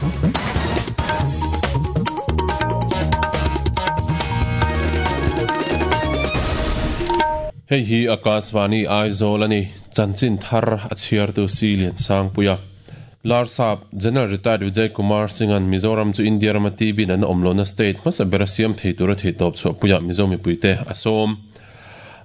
Hei hi Akashvani Aizawl a ni. Chanchin thar a chhiartu Si Liansangpuia. Larsap General Retired Vijay Kumar Singh-a'n Mizoram chu India rama TB natna awm lohna state hmasa bera siam thei tura theihtawp chhuahpuiah Mizo mipuite a sawm.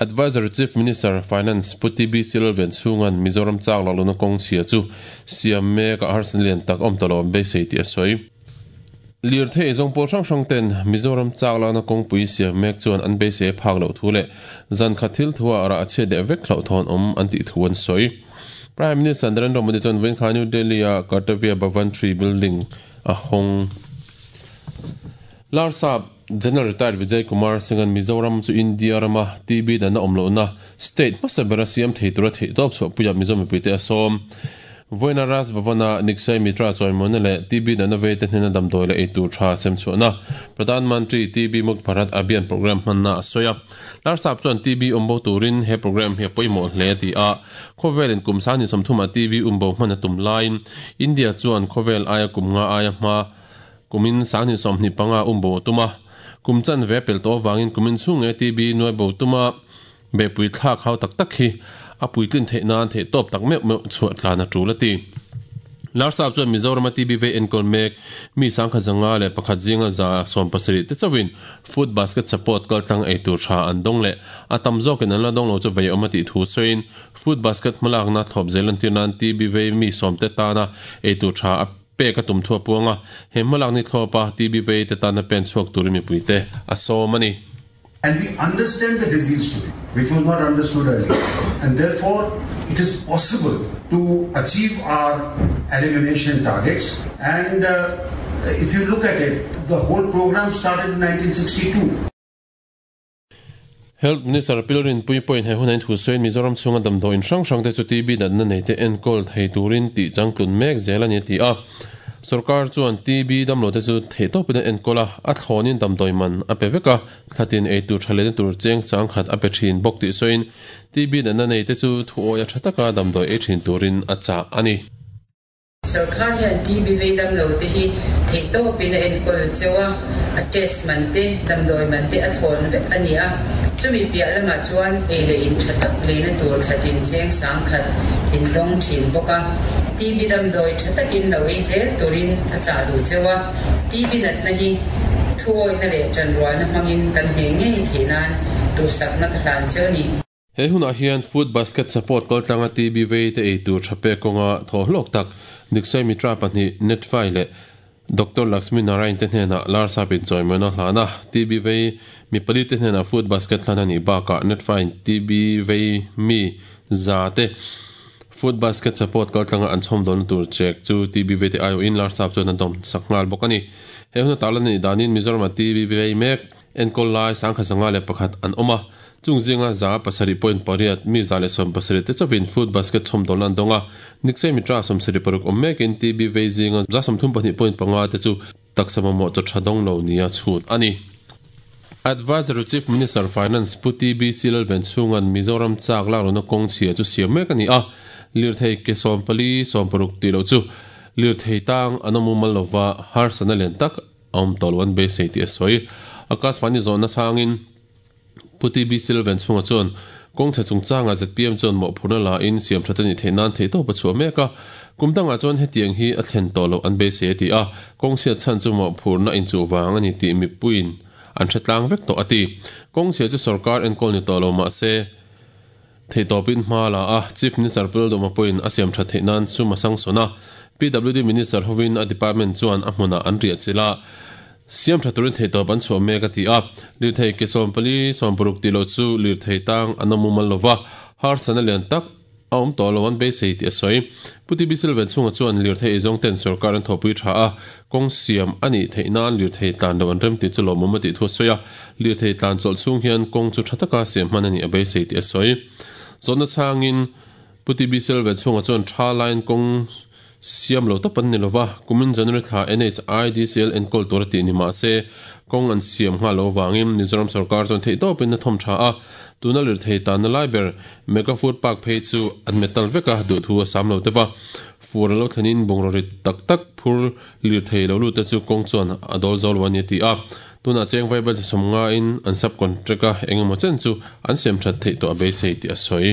Advisory Chief Minister, Finance, Pu TB Silolven chhunga'n Mizoram chak lak lohna kawng chhia chu siam mek a harsatna lian tak awm tawh lo an beisei tih a sawi. Lirthei zawng pawl hrang hrang ten Mizoram chak lakna kawngpui siam mek chuan an beisei a phak loh thu leh zan khat thil thuah rah a chhiat leh vek hlauhthawn awm an tih thu an sawi. Prime Minister Narendra Modi chuan vawiin New Delhi-a Kartavya Bhavan Tree Building a hawng. Larsap General Retired Vijay Kumar Singh-a'n Mizoram chu India rama TB natna awm lohna state hmasa bera siam thei tura theihtawp chhuahpuiah Mizo mipuite a sawm. Vawiina Raj Bhavan-a Nikshay Mitra chawimawina leh TB natna veite hnena damdawi leh eitur tha semchhuahna Pradhan Mantri TB Mukt Bharat Abhiyan programme hmanna a sawi a. Larsap chuan TB awmbo turin he programme hi a pawimawh hle a ti a. Khawvelin kum 30 TB umbo hman a tum laiin India chuan khawvel aia kum nga aia hma Kumin 2025 umbo a tum a, kum chanve a pel tawh avangin kumin chhung nge TB nuaibo tuma behpui thlak hau tak tak hi a puitlin theih nan theih tawp tak meuh meuh chhuah tlan a tul a ti. Larsap chuan Mizorama TB vei enkawl mek mi 1051 zinga 70 te chauhin food basket support kaltlang ei tur tha an dawng leh a tam zawkin an la dawng lo chu vei awm a tih thu sawiin food basket hmalakna thlawp zel entir nan TB vei mi sawmte tana ei tur tha a Pek a tum thu a puang a, he hmalak ni thlawpa TB vei te tana pen chhuak turin mipuite a sawm a ni. And we understand the disease today, which was not understood earlier, and therefore it is possible to achieve our elimination targets. And if you look at it, the whole program started in 1962. Health Minister Pi Rinpuii pawhin he hunah in thu sawiin Mizoram chhunga damdawiin hrang hrangte chu TB natna neite enkawl thei turin tih changtlun mek zel a ni a ti a. Sorkar chuan TB damlote chu theihtawpin an enkawl a, a thlawnin damdawi man a pe vek a, thlatin eitur tha lehna tur cheng sangkhat a pe thin bawk tih sawiin TB natna neite chu thuawia tha taka damdawi ei thin turin a chah a ni. Sorkar hian TB vei damlo te hi theihtawpin a enkawl cheu a, a test man te, damdawi man te a thlawn vek a ni a. Chumi piah lamah chuan ei leh in tha tak leina tur thlatin cheng sangkhat in dawng thin bawk a. TB damdawi tha takin lo ei zel turin a chah duh cheu a. TB natna hi thuawihna leh tanrualna hmangin kan hneh ngei theih nan duhsakna ka hlan cheu ni. He hunah hian Food Basket Support kaltlanga TB vei te ei tur tha pek kawnga thaw hlawk tak Nikshay Mitra pahnih Netfai leh Doctor Laxmi Narain te hnenah Larsap inchawimawina hlan a, TB vei mi pali te hnenah Food Basket hlan a nih bakah Netfai TB vei mi za te Food Basket Support kaltlanga an chhawmdawlna tur check chu TB vei te aiawhin Larsap chuan a dawm sak nghal bawk a ni. He huna tarlan a nih danin Mizoramah TB vei mek Enkawl lai 1051 an awm a, chung zinga 7.8 mi 170 te chauhin food basket chhawmdawlna an dawng a, Nikshay Mitra 76 awm mekin TB vei zinga 32.5 te chu taksa mamawh chaw tha dawng lo nia chhut a ni. Advisory Chief Minister Finance Pu TBC Lalvenchhunga'n Mizoram chak laklohna kawng chhia chu siam mek a ni a, lirthei ke 14, 60 tih loh chu lirthei tang an awm mumal lova harsatna lian tak A awm tawh lo an beisei tih a sawi. Akashvani zawhna sangin Pu TB Silvan chhunga chuan kawngchhe chungchangah zpm chuan mawhphurhna la in siam that a nih theih nan theihtawp a chhuah mek a. Kum dangah chuan hetiang hi a thlen tawh loh an beisei a ti a, kawngchhiat chhan chu mawhphurhna inchuh vang a ni tih mipuiin an hre tlang vek tawh a ti. Kawngchhia chu sorkar enkawl ni tawh lo mah se, Theihtawpin hma la a, Chief Minister Pu Lalduhma pawhin a siam that theih nan sum a sangsawn a, PWD Minister hovin a department chuan a hmunah an riah chilh a, siam tha turin theihtawp an chhuah mek a ti a. Lirthei ke 14, 60 tih loh chu lirthei tang an awm mumal lova, harsatna lian tak a awm tawh lo an beisei tih a sawi. Pu TB Silvan chhunga chuan lirthei eizawng ten sorkar an thawhpui tha a, kawng siam a nih theih nan lirthei tlan loh an rem tih chu lawmawm a tih thu a sawi a, lirthei tlan chawlh chhung hian kawng chu tha taka siam hman a nih a beisei tih a sawi. Zawhna chhangin Pu TB Silva chhungah chuan tha laiin kawng siam lo tawp an ni lova, kumin January thla NHIDCL enkawl tur a tih ni mah se kawng an siam nghal lo avangin Mizoram sorkar chuan theihtawpin a thawm tha a, tuna lirthei tanna lai ber Mega Food Park phei chu an metal vek a, duhthu a sam lo deuh a. Fur a lo thlenin bungraw rit tak tak phur lirthei lo lut te chu kawng chuan a dawl zo lo a ni a ti a. Tunah cheng vaibel chi sawm ngain an sub contract a engemaw chen chu an siam that theih tawh a beisei tih a sawi.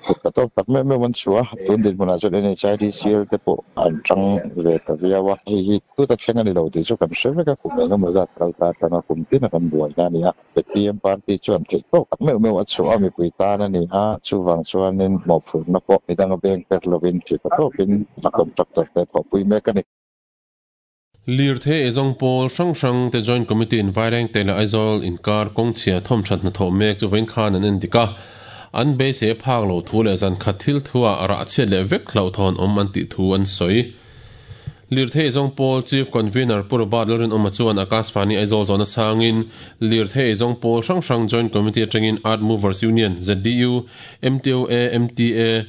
Kut ka tawp tak meuh meuh an chhuah a, tun dinhmunah chuan NHIDCL te pawh an tang ve ta viau a, hei hi tuta thleng a ni lo tih chu kan hre vek a, kum engemaw zat kal ta atanga kum tina kan buaina a ni a, zpm party chuan theih tawk tak meuh meuh a chhuah a, mipui tan a ni a, chuvang chuanin mawhphurhna pawh midanga beng per lovin thil ta tawkin a contractor te thawhpui mek a ni. Lirthei eizawng pawl hrang hrang te Joint Committee in Vairengte leh Aizawl inkar kawngchhia thawmthat hnathawh mek chu vawiin khan an endik a, an beisei a phak lo thu leh zan khat thil thu ah rah chhiat leh vek hlauhthawn awm an tih thu an sawi. Lirthei eizawng pawl Chief Convener Pu Robert Lalrinawma chuan Akashvani Aizawl zawhna chhangin Lirthei eizawng pawl hrang hrang Joint Committee atangin Earth Movers Union, ZDU, MTOA, MTA,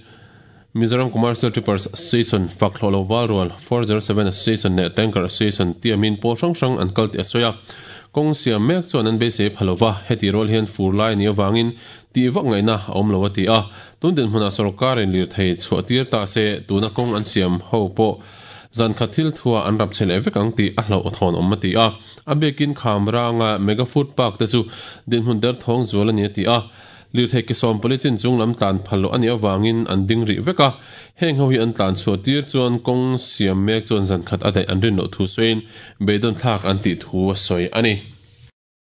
Mizoram Commercial Trippers Association, fak hlawh lo val rual, 407 Association leh Tanker Association tiamin pawl hrang hrang an kal tih a sawi a. Kawng siam mek chuan an beisei pha lo va, heti rual hian fur lai a nih avangin tih vak ngaihna a awm lo a ti a. Tun dinhmunah sawrkarin lirthei chhuah tir ta se tuna kawng an siam ho pawh zan khat thil thua an rap che leh vek ang tih a hlauhthawn awm a ti a. A biakin kham ranga Mega Food Park te chu dinhmun derthawng zual a ni a ti a. Lirthei ke sawm pali chin chung lam tlan phal loh a nih avangin an ding rih vek a, heng ho hi an tlan chhuah tir chuan kawng siam mek chuan zan khat a daih an rin loh thu sawiin beidawn thlak an tih thu a sawi a ni.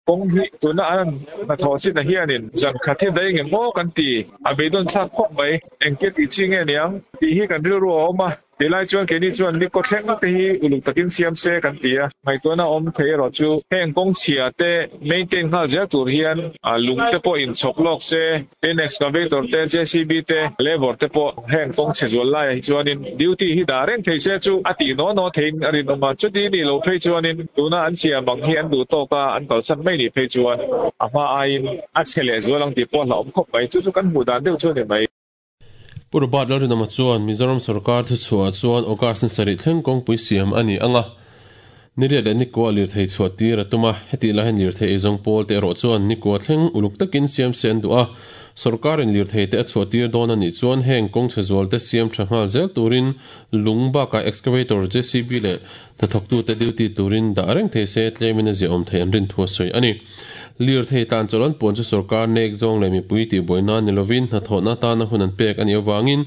Kawng hi tuna an hnathawh chinah hianin zan khat hi daih nge maw kan ti, a beidawn thlak khawp mai, engtia tih chi nge niang tih hi kan rilru a awm a. Tilai chuan keini chuan ni kawthleng te hi uluk takin siam se kan ti a, ngaihtuahna awm thei erawh chu heng kawngchhia te maintain nghal zel tur hian lung te pawh in chhawk lawk se, tin excavator te, JCB te, labour te pawh heng kawngchhe zual laiah hi chuanin duty hi dah reng thei se chu a tih naw naw theiin a rinawm a, chuti nih loh phei chuanin tuna an siam ang hi an duh tawk a, an kalsan mai nih phei chuan a hma aiin a chhe leh zual ang tih pawh a hlauhawm khawp mai, chu chu kan hmuh dan deuh chu a ni mai. Pu Robert Lalrinawma chuan Mizoram sorkar thuchhuah chuan August ni sarih thleng kawngpui siam a ni ang a, niriat leh nikua lirthei chhuah tir a tum a, hetih lai hian lirthei eizawng pawl te erawh chuan nikua thleng uluk takin siam se an duh a, sorkarin lirthei te a chhuah tir dawn a nih chuan heng kawngchhe zual te siam tha nghal zel turin lung bakah excavator JCB leh hnathawktute duty turin dah reng thei se tlemin a ziahawm theih an rin thu a sawi a ni. Lirthei tlan chawlh an puan chu sorkar nek zawng leh mipui tihbuai nan ni lovin hnathawhna atana hun an pek a nih avangin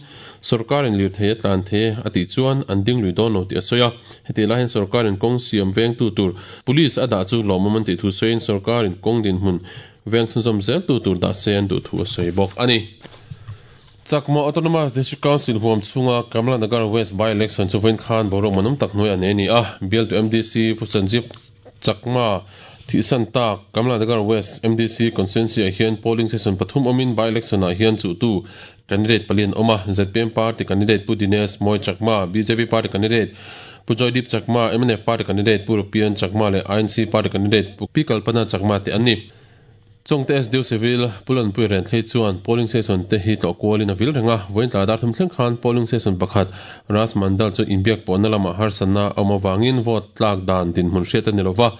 sorkarin lirthei a tlan thei a tih chuan an ding lui dawn lo tih a sawi a. Hetih lai hian sorkarin kawng siam vengtu tur Police a dah chu lawmawm an tih thu sawiin sorkarin kawng dinhmun veng chhunzawm zeltu tur dah se an duh thu a sawi bawk a ni. Chakma Autonomous District Council huam chhunga Kamla Nagar West by-election chu vawiin khan boruak manawm tak hnuai a nei a ni a. Bialtu MDC Pu Sanjeev Chakma thihsan tak Kamla Nagar West MDC constituency ah hian polling station pathum awmin by-election ah hian chuhtu candidate pali an awm a. Zpm party candidate Pu Dinesh Moy Chakma, bjp party candidate Pu Joydeep Chakma, mnf party candidate Pu Rupian Chakma leh INC party candidate Pu Pi Kalpana Chakma te an ni. Chawngte SDO Civil, Pu Lanpui Renthlei chuan polling station te hi tlawh kualin a vil reng a, vawiin tlai dar thum thleng khan polling station pakhat Ras Mandal chu inbiak pawhna lamah harsatna a awm avangin vote tlak dan dinhmun hriat a ni lova,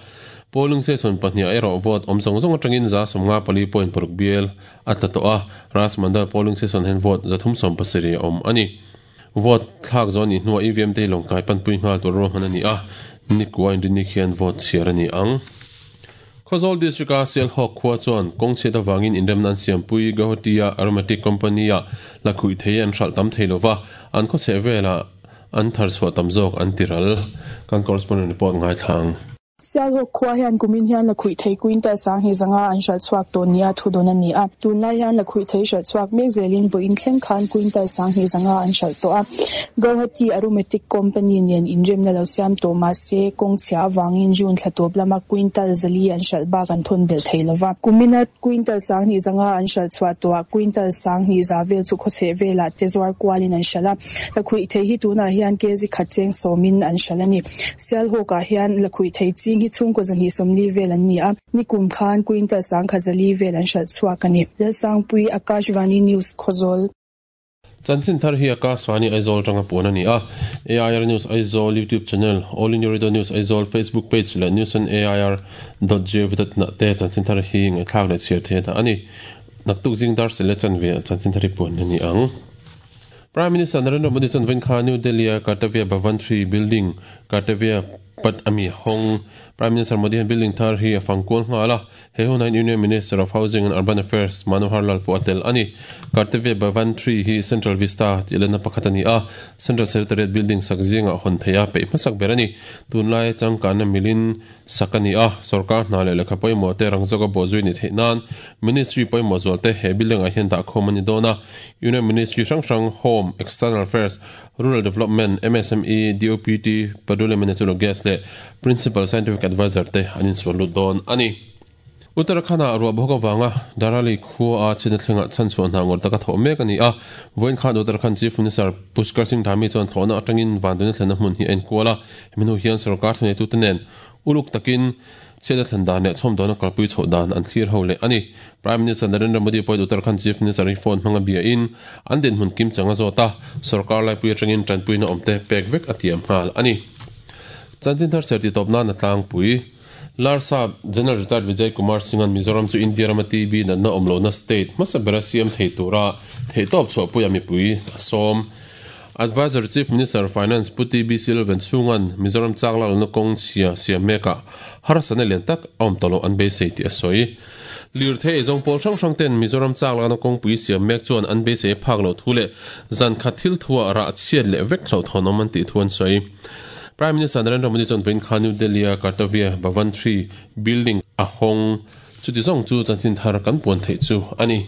polling station pahniha erawh vote awm zawng zawng atangin 54.6 bial a tla tawh a, Ras Mandal polling station hian vote 370 a awm a ni. Vote thlak zawh a nih hnuah EVM te hi lawngtlai panpui nghal tur ruahman a ni a, nikua inrinni khian vote chhiar a ni ang. Khawzawl District-a Sialhawk khua chuan kawng chhiat avangin inremna an siampui Guwahati-a Aromatic Company-ah la khuih thei an hralh tam thei lova, an khawchheh velah an thar chhuah tam zawk an ti ral. Kan correspondent report ngaithla ang. Sialhawk khua hian kumin hian la khuih thei quintal sanghnih zanga an hralh chhuak tawh nia thu dawn a ni a. Tunlai hian la khuih thei hralh chhuak mek zelin vawiin thleng khan quintal sanghnih zanga an hralh tawh a. Guwahati Aromatic Company nen inremna lo siam tawh mah se, kawng chhia avangin June thla tawp lama quintal zali an hralh bak an thawn belh thei lo va. Kumina quintal sanghnih zanga an hralh chhuah tawhah quintal sanghnih za vel chu khawchheh velah te zuar kualin an hralh a. Lakhuih thei hi tunah hian kg khat cheng sawmin an hralh a ni. Sialhawkah hian lakhuih thei ching hi chhungkaw zahnih sawmli vel an ni a. Nikum khan quintal sangkhat zali vel an hralh chhuak a ni. Lalsangpui, Akashvani News, Khawzawl. Chanchin thar hi Akashvani Aizawl atanga puan a ni a, AIR News Aizawl YouTube channel, All India Radio News Aizawl Facebook page leh news on air dot gov dot in ah te chanchin thar hi ngaihthlak leh chhiar theih a dah a ni. Naktuk zing dar sele chanve ah chanchin thar hi puan a ni ang. Prime Minister Narendra Modi chuan vawiin kha New Delhi-a Kartavya Bhavan 3 building, Kartavya Path ami hawng. Prime Minister Modi hian building thar hi a fang kual nghal a, he hunah hian Union Minister of Housing and Urban Affairs Manohar Lal pawh a tel a ni. Kartavya Bhavan 3 hi Central Vista tih lenna pakhat a ni a, Central Secretariat building sak zingah hawn theih a peih hmasak ber a ni. Tunlai changkanna milin sak a ni a, sorkar hna leh lehkha pawimawh te rang zawka bawhzui ni theih nan Ministry pawimawh zual te he building ah hian dahkhawm a ni dawn a. Union Ministry hrang hrang Home, External Affairs, Rural Development, MSME, DOPT, Petroleum and Natural Gas leh Principal Scientific Adviser te an insual lut dawn a ni. Uttarakhand-ah ruah bawk avanga Dharali khua a chhina thlengah chhanchhuah hna ngawrh taka thawh mek a ni a. Vawiin khan Uttarakhand Chief Minister Pushkar Singh Dhami chuan thlawhna atangin Vanduna thlenna hmun hi a inkual a. Hemi hnu hian sorkar thuneitute nen uluk takin chhiatna thlen dan leh chhawmdawhna kalpui chhoh dan an thlir ho leh a ni. Prime Minister Narendra Modi pawhin Uttarakhand Chief Minister hi phone hmanga biain an dinhmun kimchang a zawt a, sorkar laipui atangin tanpuina awmte pek vek a tiam nghal a ni. Chanchin thar cher titawp nan a tlangpui. Larsap General Retired Vijay Kumar Singh-a'n Mizoram chu India rama TB natna awm lohna state hmasa bera siam thei tura theihtawp chhuahpuia mipui a sawm. Adviser Chief Minister Finance Pu TB Silvan chhunga'n Mizoram chak lak lohna kawng chhia siam mekah harsatna lian tak a awm tawh loh an beisei tih a sawi. Lirthei eizawng pawl hrang hrang ten Mizoram chak lakna kawngpui siam mek chuan an beisei a phak loh thu leh zan khat thil thuah rah chhiat leh vek hlauhthawnawm an tih thu an sawi. Prime Minister Narendra Modi chuan vawiin kha New Delhi-a Kartavya Bhavan 3 building a hawng. Chuti zawng chu chanchin thar kan puan theih chu a ni.